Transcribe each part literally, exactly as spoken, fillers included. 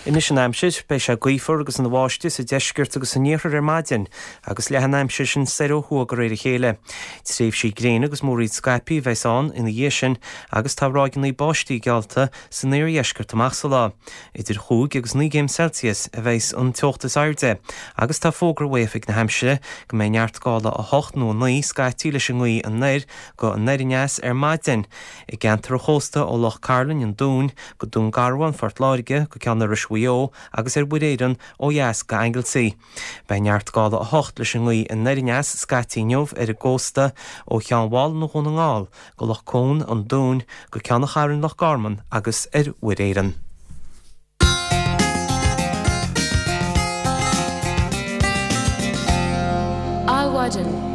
Anois an aimsir, beidh sé gaofar agus ina bháisteach sa deisceart agus san iarthar ar maidin, agus leathfaidh an aimsir sin soir ó thuaidh de réir a chéile. Tréimhsí gréine agus múraíl scaipthe a bheas ann ina dhiaidh sin agus tá ráigeanna báistí geallta san iardheisceart amach sa lá. Idir chúig agus naoi gcéim Celsius a bheas an teocht is airde, agus tá fógra ó Oifig na hAimsire go mbeidh neart gála a hocht nó a naoi scaití leis an ngaoth anoir go anoir aneas ar maidin i gceantar an chósta ó Loch Cairlinn an Dúin go Dún Garbhán Phort Láirge go Ceann Iorrais Mhaigh Eo agus ar Mhuir Éireann ó dheas go Anglesey. Beidh neart gála a hocht leis an ngaoth anoir aneas scaití inniu ar an gcósta ó Cheann Mhálanna Dhún na nGall go Loch Cuan an Dúin go Ceann an Chairn Loch Garman agus ar Mhuir Éireann. Adhmhaidin.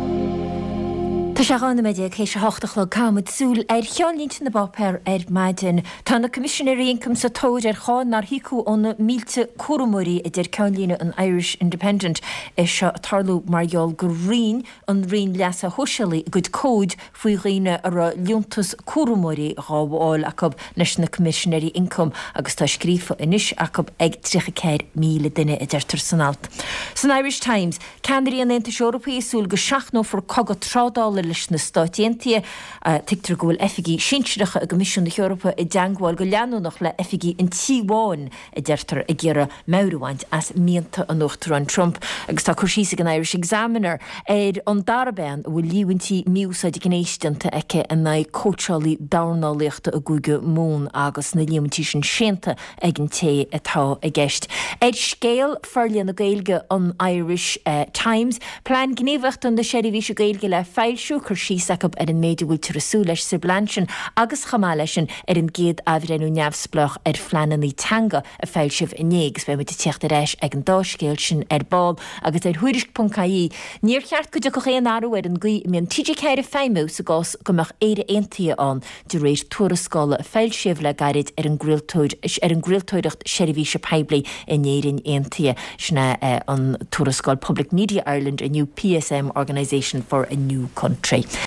Tá sé dhá nóiméad déag théis a hocht a chlog. Caithfimid súil ar cheannlínte na bpáipéar ar maidin. Tá na Coimisinéirí Ioncaim sa tóir ar cháin nár híocadh ó na mílte cúramóirí, a deir ceannlíne an Irish Independent. É seo ag tarlú mar gheall gur roinn an Roinn Leasa Shóisialaigh a gcuid comhaid faoi dhaoine a raibh liúntas cúramóirí dhá fháil acu leis na Coimisinéirí Ioncaim agus tá scríofa anois acu ag tríocha ceathair míle duine, a deirtear san alt. San Irish Times, ceannairí an Aontais Eorpaigh ag súil go seachnófar cogadh trádála leis na Stáit Aontaithe. Tuigtear go bhfuil oifigigh shinsearacha i gCoimisiún na hEorpa i dteangmháil go leanúnach le hoifigigh an Tí Bháin, a deirtear, ag iarraidh meabhair a bhaint as mianta an Uachtaráin Trump. Agus tá cur síos ag an Irish Examiner ar an dara bean a bhfuil líomhaintí mí-úsáid gnéis déanta aici in aghaidh cóitseálaí dornálaíochta i gCúige Mumhan agus na líomhaintí sin séanta ag an té atá i gceist. Ar scéal Forlíonadh na Gaeilge an Irish Times, Plean Gníomhaíochta na Seirbhíse Gaeilge le foilsiú, cur síos acu ar an méid a bhfuiltear ag súil leis sa bplean sin agus chomh maith leis sin ar an gcéad athbhreithniú neamhspleách ar phleananna teanga a foilsíodh inné agus beidh muid ag teacht ar ais ag an dá scéal sin ar ball agus ar Thuairisc ponc ie. Níor cheart go dtiocfadh aon athrú ar an gcaoi a mbíonn T G ceathair ag feidhmiú sa gcás go mbeadh Éire Aontaithe ann, de réir tuarascála a foilsíodh le gairid ar an ar an gcraoltóireacht seirbhíse poiblí in Éirinn Aontaithe. Sin é an tuarascáil Public Media Ireland, A New P S M Organisation for a New Country.